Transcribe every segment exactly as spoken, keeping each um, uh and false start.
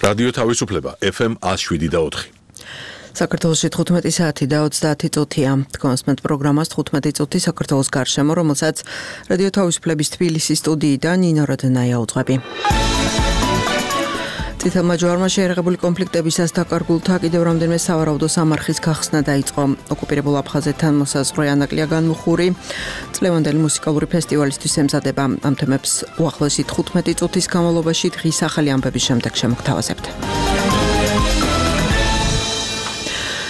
რადიო თავისუფლება ეფ ემ one oh seven და four. საქართველოში თხუთმეტი საათი და ოცდაათი წუთია. Თქვენს პროგრამას თხუთმეტი წუთი საქართველოს გარშემო, რომელსაც რადიო თავისუფლების თბილისის სტუდიიდან ნინო როდნაია უძღვები. წითელმა ჯვარმა შეერაღებული კონფლიქტებისას დაკარგულთა კიდევ რამდენიმე სავარაუდო სამარხის გახსნა დაიწყო. ოკუპირებულ აფხაზეთთან მოსაზღვრე ანაკლია განმუხური წლევანდელი მუსიკალური ფესტივალისთვის ემზადება. ამ თემებს უახლოესი თხუთმეტი წუთის განმავლობაში დღის ახალი ამბების შემდეგ შემოგთავაზებთ.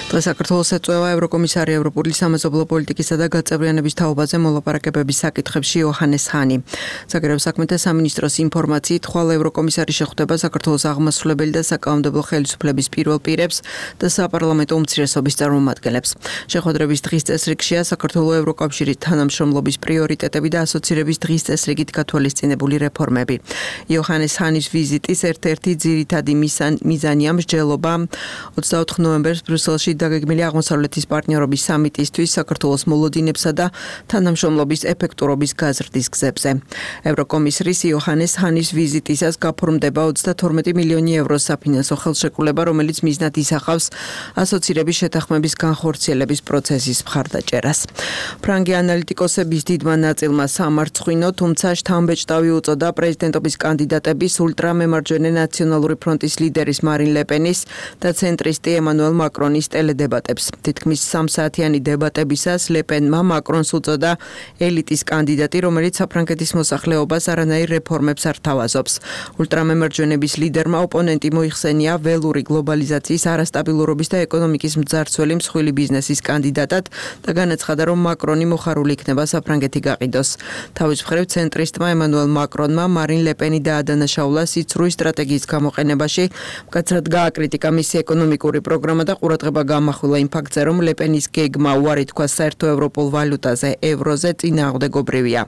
დღეს საქართველოს ეწევა ევროკომისარი ევროპული სამეზობლო პოლიტიკისა და გაწევრიანების თაობაზე მოლაპარაკებების საკითხებში იოჰანეს ჰანი. საგარეო საქმეთა სამინისტროს ინფორმაციით, ხვალ ევროკომისარი შეხვდება საქართველოს აღმასრულებელი და საკანონმდებლო ხელისუფლების პირველ პირებს და საპარლამენტო უმცირესობის წარმომადგენლებს. შეხვედრების დღის წესრიგშია საქართველოს ევროკავშირის თანამშრომლობის პრიორიტეტები და ასოცირების დღის წესრიგით გათვალისწინებული რეფორმები. იოჰანეს ჰანის ვიზიტის ერთ-ერთი ძირითადი მიზანია მსჯელობა ოცდაოთხ ნოემბერს ბრიუსელში დაგეგმილი აღმოსავლეთის პარტნიორობის სამიტისთვის საქართველოს მოლოდინებსა და თანამშრომლობის ეფექტურობის გაზრდის გზებზე. ევროკომისრის იოჰანეს ჰანის ვიზიტისას გაფორმდება ოცდათორმეტი მილიონი ევროს საფინანსო ხელშეკრულება, რომელიც მიზნად ისახავს ასოცირების შეთანხმების განხორციელების პროცესის მხარდაჭერას. ფრანგი ანალიტიკოსების დიდმა ნაწილმა სამარცხვინო, თუმცა შთამბეჭდავი უწოდა პრეზიდენტობის კანდიდატების ულტრამემარჯვენე ნაციონალური ფრონტის ლიდერის მარინ ლეპენის და ცენტრისტი ემანუელ მაკრონის დებატებს. თითქმის სამსაათიანი დებატებისას ლეპენმა მაკრონს უწოდა ელიტის კანდიდატი, რომელიც საფრანგეთის მოსახლეობას არანაირ რეფორმებს არ თავაზობს. ულტრამემარჯვენების ლიდერმა ოპონენტი მოიხსენია ველური გლობალიზაციის არასტაბილურობის და ეკონომიკის მძარცველი მსხვილი ბიზნესის კანდიდატად და განაცხადა, რომ მაკრონი მოხარული იქნება საფრანგეთი გაყიდოს. თავის მხრივ ცენტრისტმა ემანუელ მაკრონმა მარინ ლეპენი დაადანაშაულა სიცრუის სტრატეგიის გამოყენებაში, მკაცრად გააკრიტიკა მისი ეკონომიკური პროგრამა და ყურადღება გამახვილა იმ ფაქტზე, რომ ლეპენის გეგმა უარი თქვა საერთო ევროპულ ვალუტაზე, ევროზე წინააღმდეგობრივია.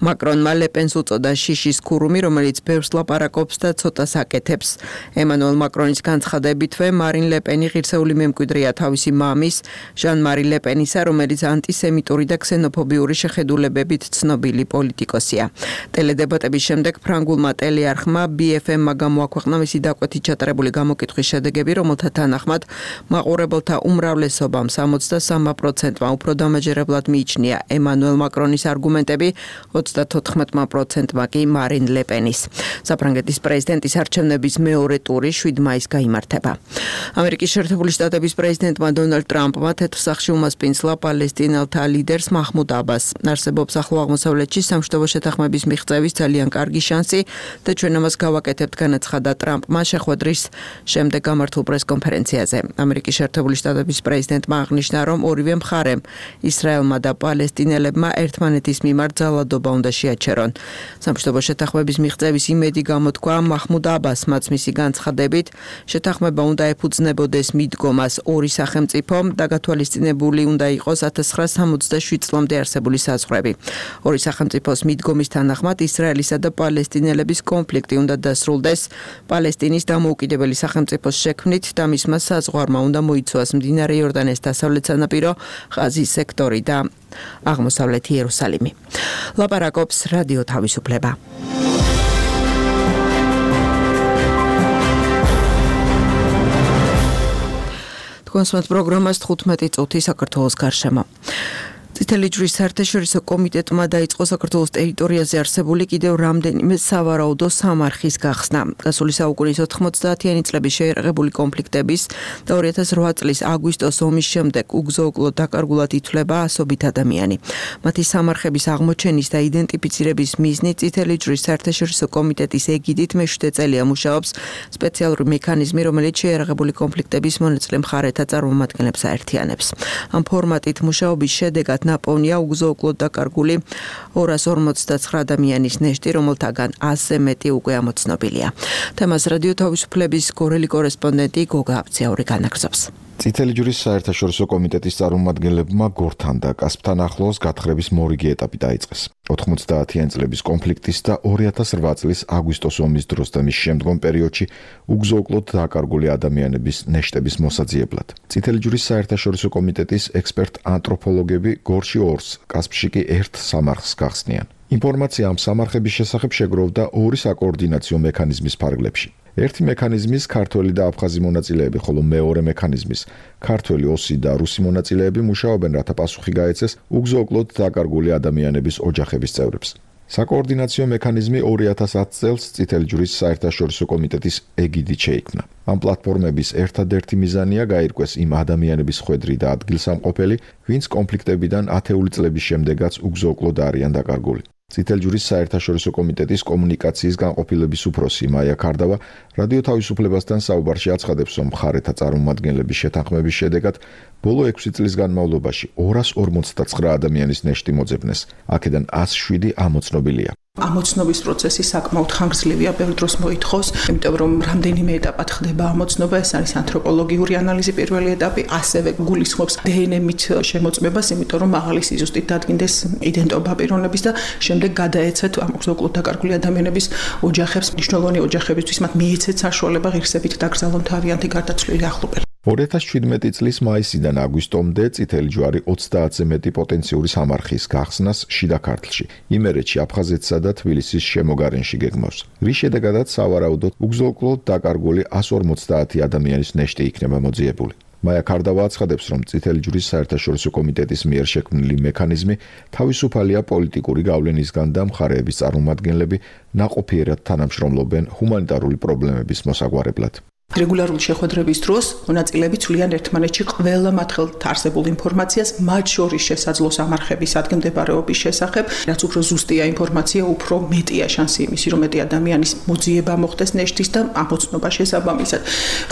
მაკრონმა ლეპენს უწოდა შიშის ქურუმი, რომელიც ბევრს ლაპარაკობს და ცოტას აკეთებს. ემანუელ მაკრონის განცხადებითვე მარინ ლეპენი ღირსეული მემკვიდრეა თავისი მამის, ჟან მარი ლეპენისა, რომელიც ანტისემიტური და ქსენოფობიური შეხედულებებით ცნობილი პოლიტიკოსია. ტელედებატების შემდეგ ფრანგულმა ტელეარხმა ბი ეფ ემ-მა გამოაქვეყნა მისი დაკვეთით ჩატარებული გამოკითხვის შედეგები, რომელთა თანახმად მაყურებელთა უმრავლესობამ სამოცდასამ პროცენტმა უფრო დამაჯერებლად მიიჩნია ემანუელ მაკრონის არგუმენტები, ოცდათოთხმეტ პროცენტმა კი მარინ ლეპენის. საფრანგეთის პრეზიდენტის არჩევნების მეორე ტური შვიდ მაისს გაიმართება. ამერიკის შეერთებული შტატების პრეზიდენტმა დონალდ ტრამპმა თეთრ სახლში უმასპინძლა პალესტინელთა ლიდერს მაჰმუდ აბასს. არსებობს ახლო აღმოსავლეთში სამშვიდობო შეთანხმების მიღწევის ძალიან კარგი შანსი და ჩვენ ამას გავაკეთებთ, განაცხადა ტრამპმა შეხვედრის შემდეგ გამართულ პრესკონფერენციაზე. ამერიკის შეერთებული შტატების პრეზიდენტმა აღნიშნა, რომ ორივე მხარემ, ისრაელმა და პალესტინელებმა ერთმანეთის მიმართ ძალადობა უნდა შეაჩერონ. სამშვიდობო შეთანხმების მიღწევის იმედი გამოთქვა მაჰმუდ აბასმაც მისი განცხადებით, შეთანხმება უნდა ეფუძნებოდეს მიდგომას ორი სახელმწიფო და გათვალისწინებული უნდა იყოს ათას ცხრაასი სამოცდაშვიდ წლამდე არსებული საზღვრები. ორი სახელმწიფოს მიდგომის თანახმად ისრაელისა და პალესტინელების კონფლიქტი უნდა დასრულდეს პალესტინის დამოუკიდებელი სახელმწიფოს შექმნით და მისმა საზღვარმა უნდა მოიცვას მდინარე იორდანეს დასავლეთ სანაპირო, ღაზის სექტორი და აღმოსავლეთი იერუსალიმი. ლაპარაკობს რადიო თავისუფლება. თქვენს პროგრამას თხუთმეტი წუთი საქართველოს გარშემო. წითელი ჯვრის საერთაშორისო კომიტეტმა დაიწყო საქართველოს ტერიტორიაზე არსებული კიდევ რამდენიმე სავარაუდო სამარხის გახსნა. გასული საუკუნის ოთხმოცდაათიანი წლების შეერაღებული კონფლიქტების და ორი ათას რვა წლის აგვისტოს ომის შემდეგ უგზო-უკლოდ დაკარგულად ითვლება ასობით ადამიანი. მათი სამარხების აღმოჩენის და იდენტიფიცირების მიზნით წითელი ჯვრის საერთაშორისო კომიტეტის ეგიდით მეშვიდე წელია მუშაობს სპეციალური მექანიზმი, რომელიც შეერაღებული კონფლიქტების მონაწილე მხარეთა წარმომადგენლებს აერთიანებს. ამ ფორმატით მუშაობის შედეგად ნაპოვნია უგზო-უკლოდ დაკარგული ორას ორმოცდაცხრა ადამიანის ნეშტი, რომელთაგან ასზე მეტი უკვე ამოცნობილია. თემას რადიო თავისუფლების გორელი კორესპონდენტი გოგა აბცაური განაგრძობს. წითელი ჯვრის საერთაშორისო კომიტეტის წარმომადგენლებმა გორთან და კასპთან ახლოს გათხრების მორიგი ეტაპი დაიწყეს. ოთხმოცდაათიანი წლების კონფლიქტის და ორი ათას რვა წლის აგვისტოს ომის დროს და მის შემდგომ პერიოდში უგზო-უკლოდ დაკარგული ადამიანების ნეშტების მოსაძიებლად. წითელი ჯვრის საერთაშორისო კომიტეტის ექსპერტ ანთროპოლოგები გორში ორს, კასპში კი ერთ სამარხს გახსნიან. ინფორმაცია ამ სამარხების შესახებ შეგროვდა ორი საკოორდინაციო მექანიზმის ფარგლებში. ერთი მექანიზმის ქართველი და აფხაზი მონაწილეები, ხოლო მეორე მექანიზმის ქართველი, ოსი და რუსი მონაწილეები მუშაობენ, რათა პასუხი გაეცეს უგზო-უკლოდ დაკარგული ადამიანების ოჯახების წევრებს. საკოორდინაციო მექანიზმი ორი ათას ათი წელს წითელი ჯვრის საერთაშორისო კომიტეტის ეგიდით შეიქმნა. ამ პლატფორმების ერთადერთი მიზანია გაირკვეს იმ ადამიანების ხვედრი და ადგილსამყოფელი, ვინც კონფლიქტებიდან ათეული წლების შემდეგაც უგზო-უკლოდ არიან დაკარგული. წითელი ჯვრის საერთაშორისო კომიტეტის კომუნიკაციის განყოფილების უფროსი მაია ქარდავა რადიო თავისუფლებასთან საუბარში აცხადებს, რომ მხარეთა წარმომადგენლების შეთანხმების შედეგად ბოლო ექვსი წლის განმავლობაში ორას ორმოცდაცხრა ადამიანის ნეშტი მოძებნეს, აქედან ათს შვიდი ამოცნობილია. ამოცნობის პროცესი საკმაოდ ხანგრძლივია, ბევრ დროს მოითხოვს, იმიტომ რომ რამდენიმე ეტაპად ხდება ამოცნობა, ეს არის ანთროპოლოგიური ანალიზი პირველი ეტაპი, ასევე გულისხმობს დე εν ემ-ით შემოწმებას, იმიტომ რომ მაღალი სიზუსტით დადგინდეს იდენტობა პიროვნების და შემდეგ გადაეცეთ ამ უგზო-უკლოდ დაკარგული ადამიანების ოჯახებს, მნიშვნელოვანი ოჯახებისთვის მათ მიეცეთ საშუალება ღირსებით დაკრძალონ თავიანთი გარდაცვლილი ახლობელი. ორი ათას შვიდმეტი წლის მაისიდან აგვისტომდე წითელი ჯვარი ოცდაათზე მეტი პოტენციური სამარხის გახსნას შიდა ქართლში, იმერეთში, აფხაზეთსა და თბილისის შემოგარენში გეგმავს. რის შედეგადაც სავარაუდოდ უგზო-უკლოდ დაკარგული εκατს ორმოცდაათი ადამიანის ნეშტი იქნება მოძიებული. მაია ქარდავა აცხადებს, რომ წითელი ჯვრის საერთაშორისო კომიტეტის მიერ შექმნილი მექანიზმი თავისუფალია პოლიტიკური გავლენისგან და მხარეების წარმომადგენლები ნაყოფიერად თანამშრომლობენ ჰუმანიტარული პრობლემების მოსაგვარებლად. რეგულარული შეხვედრების დროს მონაწილეები ცვლიან ერთმანეთში ყველა მათ არსებულ ინფორმაციას, მათ შორის შესაძლო სამარხების ადგილმდებარეობის შესახებ, რაც უფრო ზუსტია ინფორმაცია, უფრო მეტია შანსი იმისი, რომ მეტი ადამიანის მოძიება მოხდეს ნეშტის და ამოცნობა შესაბამისად.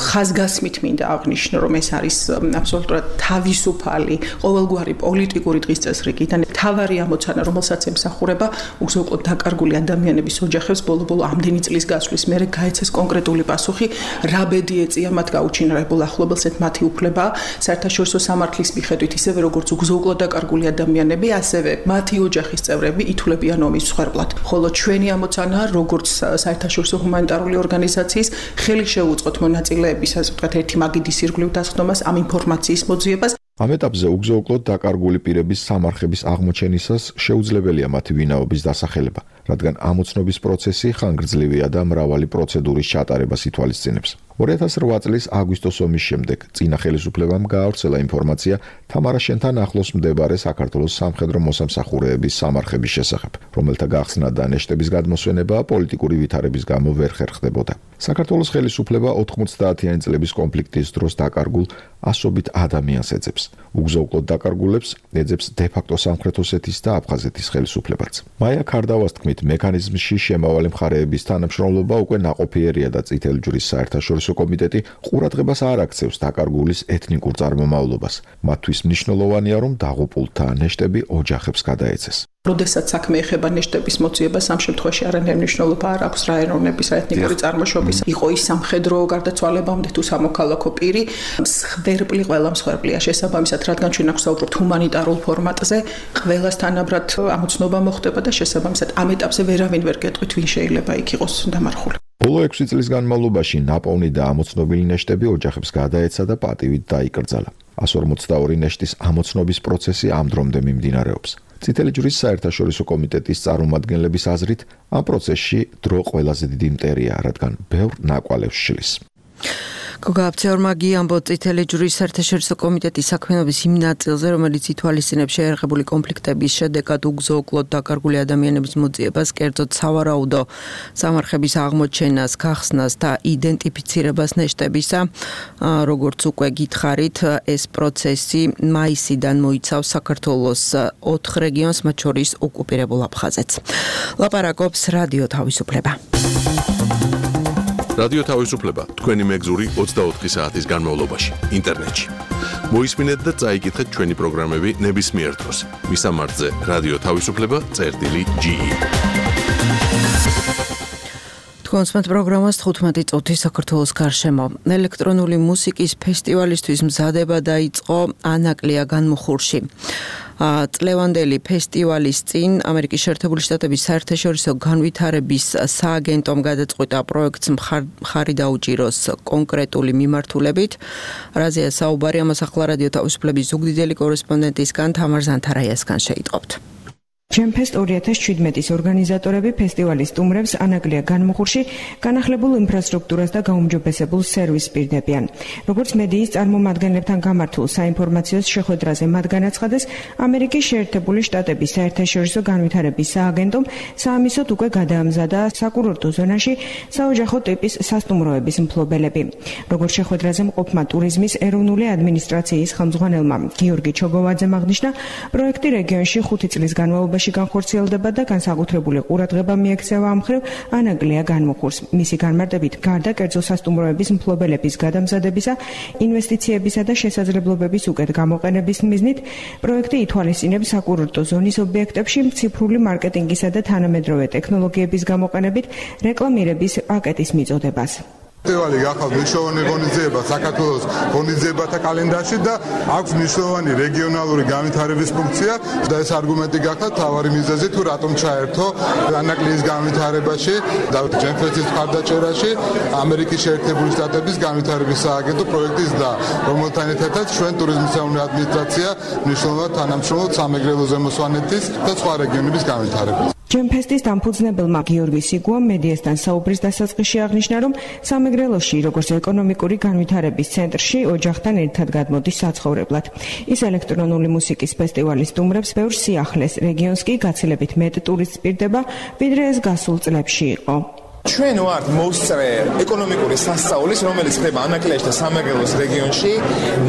ხაზგასმით მინდა აღნიშნო, რომ ეს არის აბსოლუტურად თავისუფალი, ყოველგვარი პოლიტიკური დღის წესრიგიდან მთავარი ამოცანა, რომელსაც ემსახურება უგზო-უკლოდ დაკარგული ადამიანების ოჯახებს ბოლო-ბოლო ამდენი წლის გასვლის მერე გაეცეს კონკრეტული პასუხი, რა ბედი ეწია მათ გაუჩინარებულ ახლობელს, ეს მათი უფლება საერთაშორისო სამართლის მიხედვით, ისევე როგორც უგზო-უკლოდ დაკარგული ადამიანები, ასევე მათი ოჯახის წევრები ითვლებიან ომის მსხვერპლად. ხოლო ჩვენი ამოცანაა, როგორც საერთაშორისო ჰუმანიტარული ორგანიზაციის ხელი შევუწყოთ მონაწილეების, ასე ვთქვათ, ერთი მაგიდის ირგვლივ დასხდომას, ამ ინფორმაციის მოძიებას. ამ ეტაპზე უგზო-უკლოდ დაკარგული პირების სამარხების აღმოჩენისას შეუძლებელია მათი ვინაობის დასახელება, რადგან ამოცნობის პროცესი ხანგრძლივია და მრავალი პროცედურის ჩატარებას ითვალისწინებს. ორი ათას რვა წლის აგვისტოს ომის შემდეგ წინა ხელისუფლებამ გაავრცელა ინფორმაცია თამარაშენთან ახლოს მდებარე საქართველოს სამხედრო მოსამსახურეების სამარხების შესახებ, რომელთა გახსნა და ნეშტების გადმოსვენება პოლიტიკური ვითარების გამო ვერ ხერხდებოდა. საქართველოს ხელისუფლება ოთხმოცდაათიანი წლების კონფლიქტის დროს დაკარგულ ასობით ადამიანს ეძებს. უგზო-უკლოდ დაკარგულებს ეძებს დე-ფაქტო სამხრეთ ოსეთის და აფხაზეთის ხელისუფლებაც. მაია ქარდავას თქმით, მექანიზმში შემავალი მხარეების თანამშრომლობა უკვე ნაყოფიერია და წითელი ჯვრის საერთაშორისო კომიტეტი ყურადღებას არ აქცევს დაკარგულის ეთნიკურ წარმომავლობას. მათთვის მნიშვნელოვანია, რომ დაღუპულთა ნეშტები ოჯახებს გადაეცეს. როდესაც საქმე ეხება ნეშტების მოძიებას, ამ შემთხვევაში არანაირი მნიშვნელობა არ აქვს რა ეროვნების, რა ეთნიკური წარმოშობის, იყო ის სამხედრო გარდაცვალებამდე თუ სამოქალაქო პირი, მსხვერპლი ყველა მსხვერპლია შესაბამისად, რადგან ჩვენ აქ ვსაუბრობთ ჰუმანიტარულ ფორმატზე, ყველას თანაბრად ამოცნობა მოხდება და შესაბამისად ამ ეტაპზე ვერავინ ვერ გეტყვით, ვინ შეიძლება იქ იყოს დამარხული. ბოლო ექვსი წლის განმავლობაში ნაპოვნი და ამოცნობილი ნეშტები ოჯახებს გადაეცა და პატივით დაიკრძალა. εκατს ორმოცდაორი ნეშტის ამოცნობის პროცესი ამ დრომდე მიმდინარეობს. წითელი ჯვრის საერთაშორისო კომიტეტის წარმომადგენლების აზრით, ამ პროცესში დრო ყველაზე დიდი მტერია, რადგან ბევრ ნაკვალევს შლის. გოგა აფცეორმაგი ამბობს წითელი ჯვრის საერთაშორისო კომიტეტის საქმიანობის იმ ნაწილზე, რომელიც ითვალისწინებს შეერაღებული კონფლიქტების შედეგად უგზო-უკლოდ დაკარგული ადამიანების მოძიებას, კერძოდ სავარაუდო სამარხების აღმოჩენას, გახსნას და იდენტიფიცირებას ნეშტებისა. როგორც უკვე გითხარით, ეს პროცესი მაისიდან მოიცავს საქართველოს ოთხ რეგიონს, მათ შორის ოკუპირებულ აფხაზეთს. ლაპარაკობს რადიო თავისუფლება. რადიო თავისუფლება თქვენი მეგზური ოცდაოთხი საათის განმავლობაში ინტერნეტში. მოისმინეთ და წაიკითხეთ ჩვენი პროგრამები ნებისმიერ დროს. მისამართზე რადიო თავისუფლება წერტილი ჯი. კონსმეთ პროგრამას თხუთმეტი წუთი საქართველოს გარშემო. ელექტრონული მუსიკის ფესტივალისთვის მზადება დაიწყო ანაკლია განმუხურში. წლევანდელი ფესტივალის წინ ამერიკის შეერთებული შტატების საერთაშორისო განვითარების სააგენტომ გადაწყვიტა პროექტს მხარი დაუჭიროს კონკრეტული მიმართულებით. რაზეა საუბარი, ამას ახლა რადიო თავისუფლების ზუგდიდელი კორესპონდენტისგან თამარ ზანთარაიასგან შეიტყობთ. GEMFEST ორი ათას შვიდმეტის ორგანიზატორები ფესტივალის სტუმრებს ანაკლია განმუხურში განახლებულ ინფრასტრუქტურას და გაუმჯობესებულ სერვისს პირდებიან. როგორც მედიის წარმომადგენლებთან გამართულ საინფორმაციო შეხვედრაზე მათ განაცხადეს, ამერიკის შეერთებული შტატების საერთაშორისო განვითარების სააგენტომ საამისოდ უკვე გადაამზადა საკურორტო ზონაში საოჯახო ტიპის სასტუმროების მფლობელები. როგორც შეხვედრაზე მყოფმა ტურიზმის ეროვნული ადმინისტრაციის ხელმძღვანელმა გიორგი ჩოგოვაძემ აღნიშნა, პროექტი რეგიონში ხუთი წლის განმავლობაში განხორციელდება და განსაკუთრებული ყურადღება მიექცევა ამ მხრივ ანაკლია განმუხურს. მისი განმარტებით, გარდა კერძო სასტუმროების მფლობელების გადამზადებისა, ინვესტიციებისა და შესაძლებლობების უკეთ გამოყენების მიზნით, პროექტი ითვალისწინებს საკურორტო ზონის ობიექტებში ციფრული მარკეტინგისა და თანამედროვე ტექნოლოგიების გამოყენებით რეკლამირების პაკეტის მიწოდებას. ფესტივალი გახავთ მნიშვნელოვანი ღონისძიება საქართველოს ღონისძიებათა კალენდარში და აქვს მნიშვნელოვანი რეგიონალური განვითარების ფუნქცია და ეს არგუმენტი გახდა თავარი მიზეზი თუ რატომ ჩაერთო ანაკლიის განვითარებაში და GEMFEST-ის მხარდაჭერაში ამერიკის შეერთებული შტატების განვითარების სააგენტო პროექტის და რომელთან ერთადაც ჩვენ ტურიზმის ეროვნული ადმინისტრაცია მნიშვნელოვნად თანამშრომლობთ სამეგრელო ზემოსვანეთის და სხვა რეგიონების განვითარებას. GEMFEST-ის დამფუძნებელმა გიორგი სიგუამ მედიასთან საუბრის დასაწყისში აღნიშნა, რომ სამეგრელოში, როგორც ეკონომიკური განვითარების ცენტრში, ოჯახთან ერთად გადმოდის საცხოვრებლად. ის ელექტრონული მუსიკის ფესტივალის სტუმრებს ბევრ სიახლეს, რეგიონს კი გაცილებით მეტ ტურისტს პირდება, ვიდრე ეს გასულ წლებში იყო. ჩვენ ვართ მოსწრე ეკონომიკური სასწაულის, რომელიც ხდება ანაკლიაში და სამეგრელოს რეგიონში.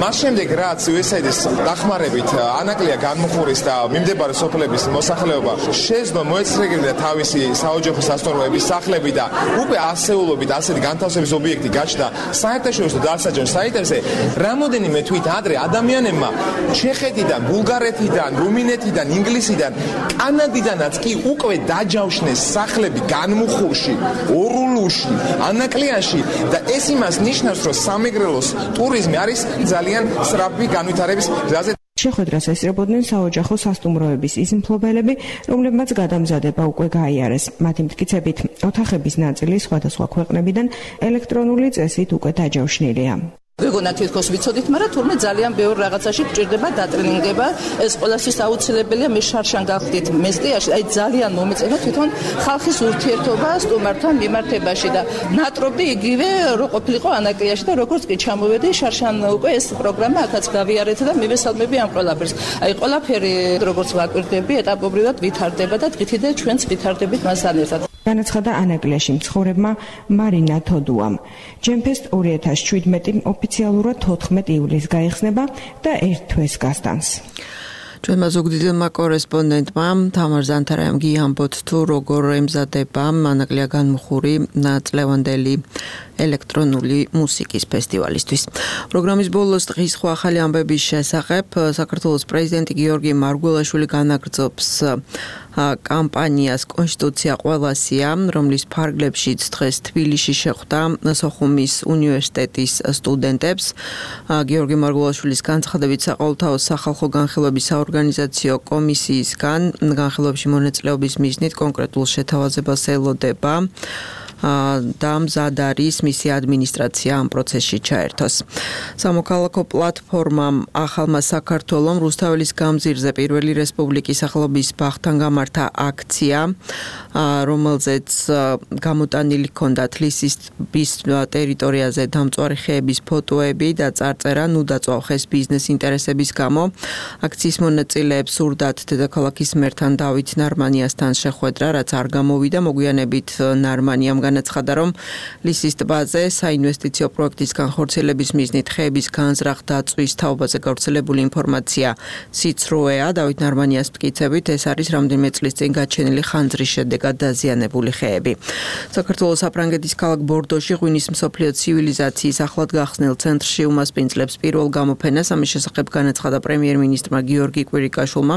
მას შემდეგ, რაც იუ ეს ეი-ის დახმარებით ანაკლია განმუხურის და მიმდებარე სოფლების მოსახლეობა შეძლო მოეცრეგებინა თავისი საოჯახო სასტუმროების სახლები და უკვე ასეულობით ასეთი განთავსების ობიექტი გაჩნდა საერთაშორისო დასაჯენ საიტებზე, რამოდენიმე თვით ადრე ადამიანებმა ჩეხეთიდან, ბულგარეთიდან, რუმინეთიდან, ინგლისიდან, კანადიდანაც კი უკვე დაჯავშნეს სახლები განმუხურში, ორულუში, ანაკლიაში და ეს იმას ნიშნავს, რომ სამეგრელოს ტურიზმი არის ძალიან სწრაფი განვითარების გზაზე. შეხვედრას ესწრებოდნენ საოჯახო სასტუმროების ის მფლობელები, რომლებმაც გადამზადება უკვე გაიარეს. მათი მტკიცებით, ოთახების ნაწილი სხვადასხვა ქვეყნებიდან ელექტრონული წესით უკვე დაჯავშნილია. ვეგონა თითქოს ვიცოდით, მაგრამ თურმე ძალიან ბევრ რაღაცაში გჭირდება დატრენინგება. ეს ყველასთვის აუცილებელია. მე შარშან გავხდით მესტიაში, აი ძალიან მომეწონა თვითონ ხალხის ურთიერთობა სტუმართან მიმართებაში და ნატრობდი იგივე რო ყოფილიყო ანაკლიაში და როგორც კი ჩამოვედი შარშან უკვე ეს პროგრამა აქაც გავიარეთ და მივესალმები ამ ყველაფერს. აი ყველაფერი როგორც ვაკვირდები, ეტაპობრივად ვითარდება და დღითიდე ჩვენც ვითარდებით მასთან ერთად. განაცხადა ანაკლიაში მცხოვრებმა მარინა თოდუამ. GEMFEST ორი ათას შვიდმეტი ოფიციალურად თოთხმეტ ივლისს გაიხსნება და ერთ თვეს გასტანს. ჩვენმა ზუგდიდელმა კორესპონდენტმა თამარ ზანთარაიმ გიამბოთ თუ როგორ ემზადება ანაკლია განმუხური წლევანდელი ელექტრონული მუსიკის ფესტივალისთვის. პროგრამის ბოლოს დღის სხვა ახალი ამბების შესახებ საქართველოს პრეზიდენტი გიორგი მარგველაშვილი განაგრძობს კამპანიას კონსტიტუცია ყველასია, რომლის ფარგლებშიც დღეს თბილისში შეხვდა სოხუმის უნივერსიტეტის სტუდენტებს. გიორგი მარგველაშვილის განცხადებით საყოველთაო სახალხო განხილვების საორგანიზაციო კომისიისგან განხილვებში მონაწილეობის მიზნით კონკრეტულ შეთავაზებას ელოდება და მზად არის მისი ადმინისტრაცია ამ პროცესში ჩაერთოს. სამოქალაქო პლატფორმამ ახალმა საქართველომ რუსთაველის გამზირზე პირველი რესპუბლიკის სახელობის ბაღთან გამართა აქცია, რომელზეც გამოტანილი ჰქონდათ ლისის ტერიტორიაზე დამწვარი ხეების ფოტოები და წარწერა ნუ დაწვავ ხეს ბიზნეს ინტერესების გამო. აქციის მონაწილეებს სურდათ დედაქალაქის მერთან დავით ნარმანიასთან შეხვედრა, რაც არ გამოვიდა. მოგვიანებით ნარმანიამ განაცხადა, რომ ლისის ტბაზე საინვესტიციო პროექტის განხორციელების მიზნით ხეების განზრახ დაწვის თაობაზე გავრცელებული ინფორმაცია სიცრუეა. დავით ნარმანიას მტკიცებით, ეს არის რამდენიმე წლის წინ გაჩენილი ხანძრის შედეგად დაზიანებული ხეები. საქართველოს საფრანგეთის ქალაქ ბორდოში ღვინის მსოფლიო ცივილიზაციის ახლად გახსნილ ცენტრში უმასპინძლებს პირველ გამოფენას. ამის შესახებ განაცხადა პრემიერ-მინისტრმა გიორგი კვირიკაშვილმა.